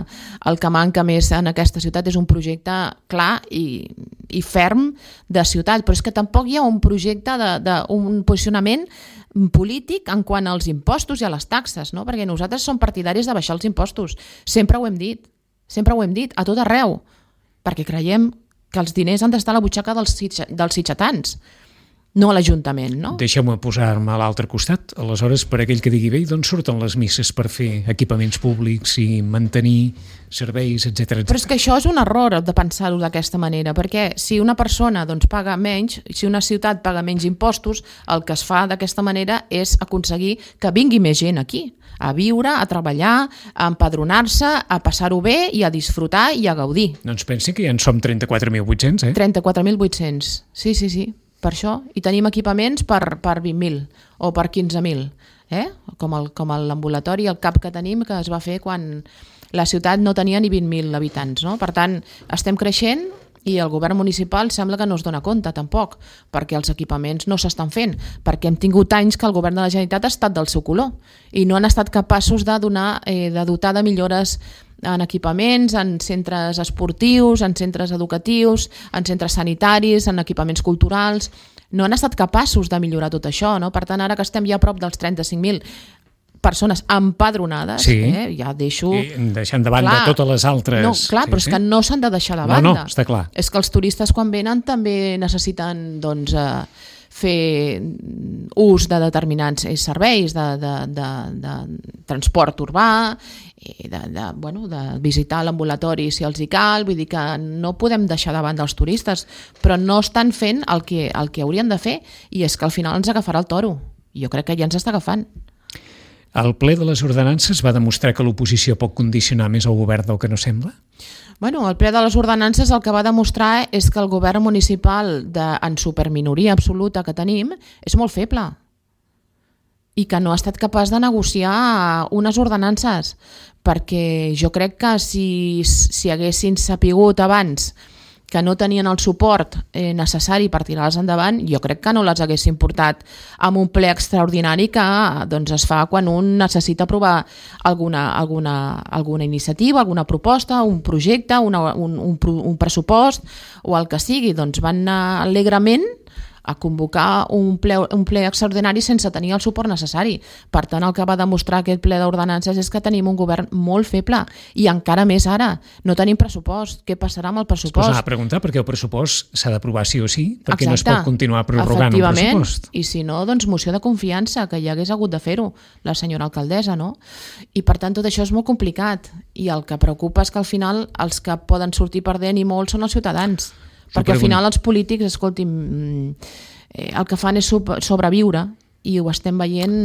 Speaker 3: el que manca més en aquesta ciutat és un projecte clar i, i ferm de ciutat, però és que tampoc hi ha un projecte de, de un posicionament polític en quant als impostos i a les taxes, no? Perquè nosaltres som partidaris de baixar els impostos, sempre ho hem dit, sempre ho hem dit, a tot arreu, perquè creiem que els diners han d'estar a la butxaca dels, dels sitjatans, no a l'Ajuntament, no?
Speaker 2: Deixeu-me posar-me a l'altre costat. Aleshores, per aquell que digui, bé, d'on surten les misses per fer equipaments públics i mantenir serveis, etcètera, etcètera.
Speaker 3: Però és que això és un error de pensar-ho d'aquesta manera, perquè si una persona doncs, paga menys, si una ciutat paga menys impostos, el que es fa d'aquesta manera és aconseguir que vingui més gent aquí, a viure, a treballar, a empadronar-se, a passar-ho bé i a disfrutar i a gaudir.
Speaker 2: Doncs pensi que ja en som trenta-quatre mil vuit-cents, eh?
Speaker 3: trenta-quatre mil vuit-cents, sí, sí, sí. Per això, i tenim equipaments per, per vint mil o per quinze mil, eh? com, el, com l'ambulatori, el CAP que tenim, que es va fer quan la ciutat no tenia ni vint mil habitants. No? Per tant, estem creixent i el govern municipal sembla que no es dona compte tampoc, perquè els equipaments no s'estan fent, perquè hem tingut anys que el govern de la Generalitat ha estat del seu color i no han estat capaços de, donar, eh, de dotar de millores en equipaments, en centres esportius, en centres educatius, en centres sanitaris, en equipaments culturals. No han estat capaços de millorar tot això, no? Per tant, ara que estem ja a prop dels trenta-cinc mil persones empadronades,
Speaker 2: sí.
Speaker 3: eh, ja deixo...
Speaker 2: I deixant de banda clar, totes les altres...
Speaker 3: No, clar,
Speaker 2: sí,
Speaker 3: però és
Speaker 2: sí.
Speaker 3: que no s'han de deixar de banda.
Speaker 2: No, no, està clar.
Speaker 3: És que els turistes quan venen també necessiten, doncs, eh, fer ús de determinats serveis de, de, de, de transport urbà, de, de, bueno, de visitar l'ambulatori si els hi cal, vull dir que no podem deixar de banda els turistes, però no estan fent el que, el que haurien de fer i és que al final ens agafarà el toro. Jo crec que ja ens està agafant.
Speaker 2: El ple de les ordenances va demostrar que l'oposició pot condicionar més el govern del que no sembla?
Speaker 3: Bueno, el ple de les ordenances el que va demostrar és que el govern municipal de, en superminoria absoluta que tenim és molt feble i que no ha estat capaç de negociar unes ordenances, perquè jo crec que si, si haguessin sapigut abans que no tenien el suport eh, necessari per tirar-les endavant, jo crec que no les haguessin portat amb un ple extraordinari que doncs, es fa quan un necessita aprovar alguna, alguna, alguna iniciativa, alguna proposta, un projecte, una, un, un, un pressupost o el que sigui. Doncs van anar alegrement a convocar un ple, un ple extraordinari sense tenir el suport necessari. Per tant, el que va demostrar aquest ple d'ordenances és que tenim un govern molt feble i encara més ara. No tenim pressupost. Què passarà amb el pressupost?
Speaker 2: Es posava a preguntar perquè el pressupost s'ha d'aprovar sí o sí, perquè no es pot continuar prorrogant el pressupost.
Speaker 3: I si no, doncs moció de confiança, que ja hagués hagut de fer-ho la senyora alcaldessa, no? I per tant tot això és molt complicat i el que preocupa és que al final els que poden sortir perdent i molt són els ciutadans. Perquè al final els polítics, escolti'm, el que fan és sobreviure i ho estem veient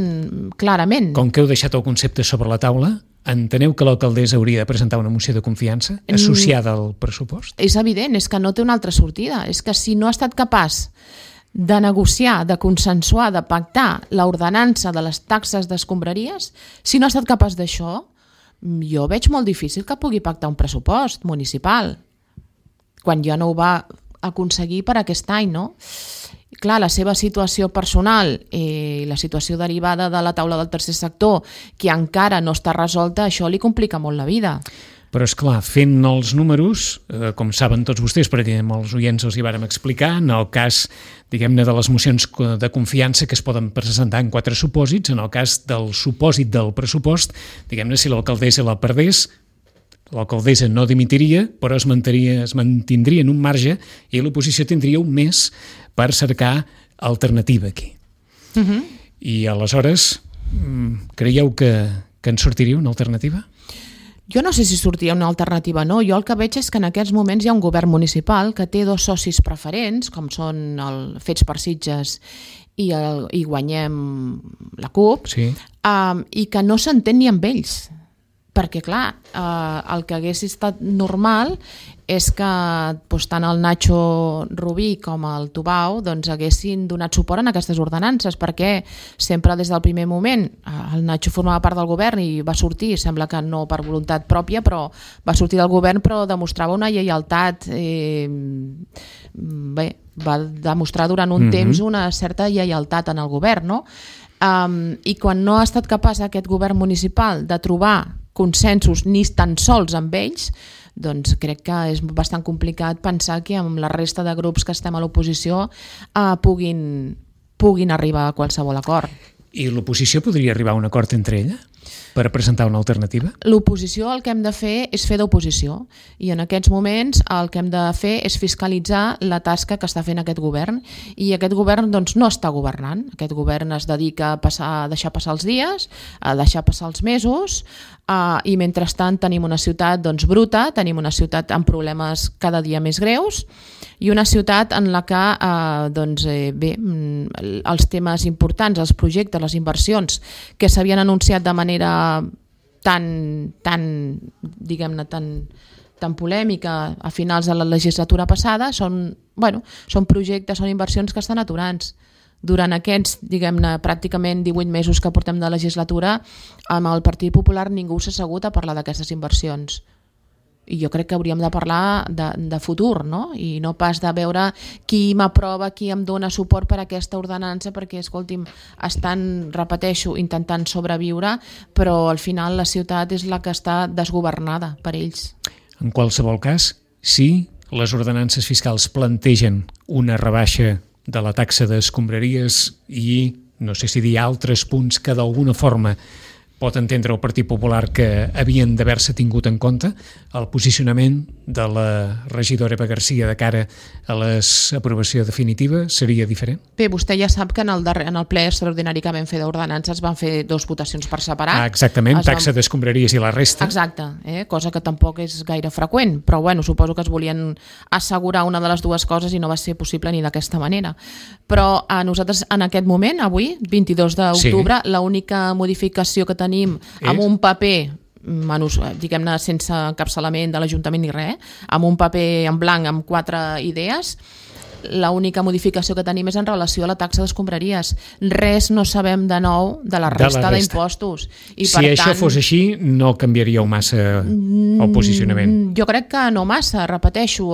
Speaker 3: clarament.
Speaker 2: Com que heu deixat el concepte sobre la taula, enteneu que l'alcaldessa hauria de presentar una moció de confiança associada al pressupost?
Speaker 3: És evident, és que no té una altra sortida. És que si no ha estat capaç de negociar, de consensuar, de pactar l'ordenança de les taxes d'escombraries, si no ha estat capaç d'això, jo veig molt difícil que pugui pactar un pressupost municipal, quan ja no ho va aconseguir per aquest any, no? Clar, la seva situació personal i la situació derivada de la taula del tercer sector, que encara no està resolta, això li complica molt la vida.
Speaker 2: Però, és clar, fent els números, eh, com saben tots vostès, perquè amb els oients els hi vàrem explicar, en el cas, diguem-ne, de les mocions de confiança que es poden presentar en quatre supòsits, en el cas del supòsit del pressupost, diguem-ne, si l'alcaldessa la perdés, l'alcaldessa no dimitiria, però es mantindria, es mantindria en un marge i l'oposició tindria un mes per cercar alternativa aquí. Uh -huh. I aleshores, creieu que, que en sortiria una alternativa?
Speaker 3: Jo no sé si sortiria una alternativa o no. Jo el que veig és que en aquests moments hi ha un govern municipal que té dos socis preferents, com són el Fets per Sitges i, el, i Guanyem la CUP,
Speaker 2: sí.
Speaker 3: um, i que no s'entén ni amb ells. Perquè, clar, eh, el que hagués estat normal és que doncs, tant el Nacho Rubí com el Tubau doncs, haguessin donat suport en aquestes ordenances, perquè sempre des del primer moment el Nacho formava part del govern i va sortir, sembla que no per voluntat pròpia, però va sortir del govern, però demostrava una lleialtat, eh, bé, va demostrar durant un mm-hmm. temps una certa lleialtat en el govern, no? Um, I quan no ha estat capaç aquest govern municipal de trobar consensos ni tan sols amb ells, doncs crec que és bastant complicat pensar que amb la resta de grups que estem a l'oposició eh, puguin, puguin arribar a qualsevol acord.
Speaker 2: I l'oposició podria arribar a un acord entre ella per presentar una alternativa?
Speaker 3: L'oposició el que hem de fer és fer d'oposició i en aquests moments el que hem de fer és fiscalitzar la tasca que està fent aquest govern i aquest govern doncs, no està governant. Aquest govern es dedica a, passar, a deixar passar els dies, a deixar passar els mesos uh, i mentrestant tenim una ciutat doncs, bruta, tenim una ciutat amb problemes cada dia més greus i una ciutat en la que uh, doncs, eh, bé, els temes importants, els projectes, les inversions que s'havien anunciat de manera tan, tan diguem-ne, tan, tan polèmica a finals de la legislatura passada, són, bueno, són projectes, són inversions que estan aturants. Durant aquests, diguem-ne, pràcticament divuit mesos que portem de legislatura, amb el Partit Popular ningú s'ha assegut a parlar d'aquestes inversions. I jo crec que hauríem de parlar de, de futur, no? I no pas de veure qui m'aprova, qui em dona suport per a aquesta ordenança, perquè, escolti'm, estan, repeteixo, intentant sobreviure, però al final la ciutat és la que està desgovernada per ells.
Speaker 2: En qualsevol cas, si les ordenances fiscals plantegen una rebaixa de la taxa d'escombraries i, no sé si dir altres punts que d'alguna forma pot entendre el Partit Popular que havien d'haver-se tingut en compte, el posicionament de la regidora Eva Garcia de cara a l'aprovació definitiva seria diferent?
Speaker 3: Bé, vostè ja sap que en el, darrer, en el ple extraordinari que vam fer d'ordenances van fer dos votacions per separat.
Speaker 2: Ah, exactament,
Speaker 3: es
Speaker 2: taxa
Speaker 3: van...
Speaker 2: d'escombraries i la resta.
Speaker 3: Exacte, eh? Cosa que tampoc és gaire freqüent, però bueno, suposo que es volien assegurar una de les dues coses i no va ser possible ni d'aquesta manera. Però a nosaltres en aquest moment, avui, vint-i-dos d'octubre, sí. L'única modificació que tenim és? Amb un paper, diguem-ne sense encapçalament de l'Ajuntament ni res, amb un paper en blanc amb quatre idees, l'única modificació que tenim és en relació a la taxa d'escombraries. Res no sabem de nou de la resta d'impostos.
Speaker 2: Si per això tant, fos així, no canviaríeu massa el posicionament?
Speaker 3: Jo crec que no massa. Repeteixo,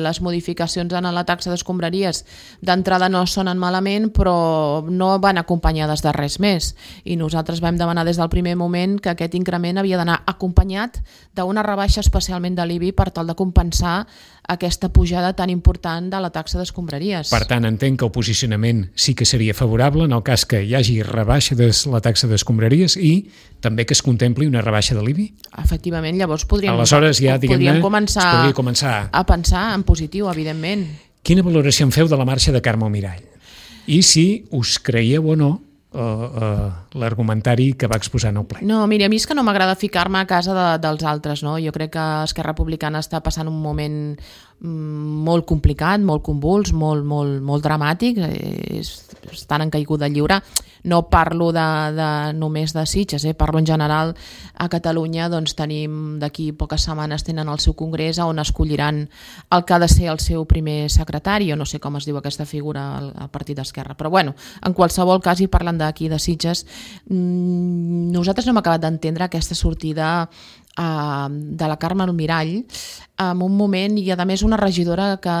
Speaker 3: les modificacions en la taxa d'escombraries d'entrada no sonen malament, però no van acompanyades de res més. I nosaltres vam demanar des del primer moment que aquest increment havia d'anar acompanyat d'una rebaixa especialment de l'I B I per tal de compensar aquesta pujada tan important de la taxa d'escombraries.
Speaker 2: Per tant, entenc que el posicionament sí que seria favorable en el cas que hi hagi rebaixa de la taxa d'escombraries i també que es contempli una rebaixa de l'I B I.
Speaker 3: Efectivament, llavors podríem,
Speaker 2: Aleshores, ja,
Speaker 3: podríem començar,
Speaker 2: es podria començar
Speaker 3: a pensar en positiu, evidentment.
Speaker 2: Quina valoració en feu de la marxa de Carme Almirall? I si us creieu o no Uh, uh, l'argumentari que va exposar en el ple.
Speaker 3: No, mira, a mi és que no m'agrada ficar-me a casa de, dels altres, no? Jo crec que Esquerra Republicana està passant un moment mm, molt complicat, molt convuls, molt, molt, molt dramàtic, és, estan en caiguda lliure. no parlo de, de només de Sitges, eh? Parlo en general. A Catalunya doncs, tenim d'aquí poques setmanes tenen el seu congrés on escolliran el que ha de ser el seu primer secretari, o no sé com es diu aquesta figura al, al Partit d'Esquerra, però bueno, en qualsevol cas, i parlant d'aquí de Sitges, mmm, nosaltres no hem acabat d'entendre aquesta sortida de la Carme Almirall en un moment, i a més una regidora que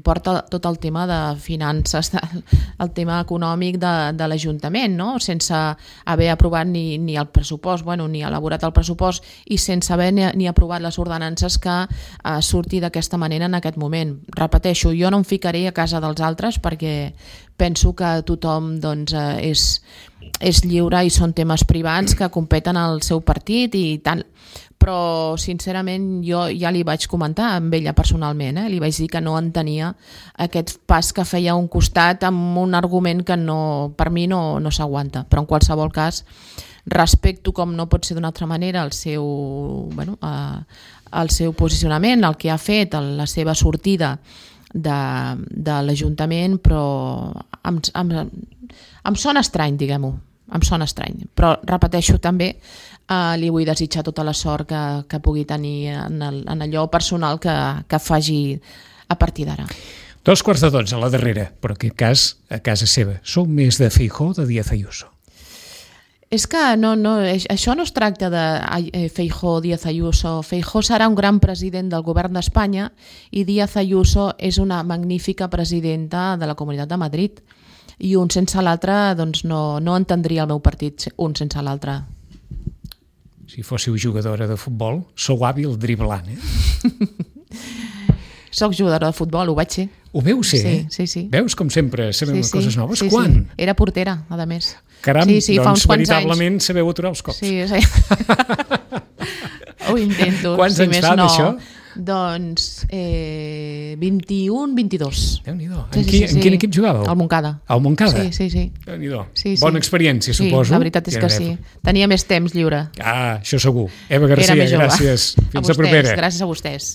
Speaker 3: porta tot el tema de finances, el tema econòmic de, de l'Ajuntament, no? Sense haver aprovat ni, ni el pressupost, bueno, ni elaborat el pressupost, i sense haver ni, ni aprovat les ordenances, que eh, surti d'aquesta manera en aquest moment. Repeteixo, jo no em ficaré a casa dels altres perquè penso que tothom doncs, eh, és, és lliure i són temes privats que competen al seu partit i tant. Però sincerament jo ja li vaig comentar amb ella personalment, eh? Li vaig dir que no entenia aquest pas que feia a un costat amb un argument que no, per mi no, no s'aguanta, però en qualsevol cas respecto, com no pot ser d'una altra manera, el seu, bueno, eh, el seu posicionament, el que ha fet, la seva sortida de, de l'Ajuntament, però em, em, em sona estrany, diguem-ho, em sona estrany, però repeteixo també, Uh, li vull desitjar tota la sort que, que pugui tenir en, el, en allò personal que, que faci a partir d'ara.
Speaker 2: Dos quarts de dotze a la darrera, però en aquest cas a casa seva. Sou més de Feijóo o de Díaz Ayuso?
Speaker 3: És que no, no, això no es tracta de Feijóo o Díaz Ayuso. Feijóo serà un gran president del govern d'Espanya i Díaz Ayuso és una magnífica presidenta de la Comunitat de Madrid. I un sense l'altre, doncs no, no entendria el meu partit, un sense l'altre.
Speaker 2: Si fóssiu jugadora de futbol, sou hàbil driblant, eh?
Speaker 3: Soc jugadora de futbol, ho vaig ser.
Speaker 2: Ho veu ser,
Speaker 3: sí,
Speaker 2: eh?
Speaker 3: Sí, sí.
Speaker 2: Veus com sempre sabem
Speaker 3: sí, sí.
Speaker 2: coses noves?
Speaker 3: Sí,
Speaker 2: Quan?
Speaker 3: Sí. Era portera, a més.
Speaker 2: Caram,
Speaker 3: sí, sí,
Speaker 2: doncs veritablement anys. Sabeu aturar els cops.
Speaker 3: Sí, sí. Ho intento.
Speaker 2: Quants
Speaker 3: si
Speaker 2: anys
Speaker 3: més
Speaker 2: fa
Speaker 3: no.
Speaker 2: d'això?
Speaker 3: Doncs eh, vint-i-un, vint-i-dos.
Speaker 2: Déu-n'hi-do.
Speaker 3: Sí,
Speaker 2: en,
Speaker 3: sí,
Speaker 2: qui,
Speaker 3: sí,
Speaker 2: en quin
Speaker 3: sí.
Speaker 2: equip jugàveu?
Speaker 3: Al Montcada.
Speaker 2: Al Montcada?
Speaker 3: Sí, sí, sí.
Speaker 2: Déu-n'hi-do.
Speaker 3: Sí, sí.
Speaker 2: Bona experiència, suposo.
Speaker 3: Sí, la veritat és que sí. Tenia més temps lliure.
Speaker 2: Ah, això segur. Eva Garcia, gràcies. Fins
Speaker 3: a, vostès,
Speaker 2: a propera.
Speaker 3: Gràcies a vostès.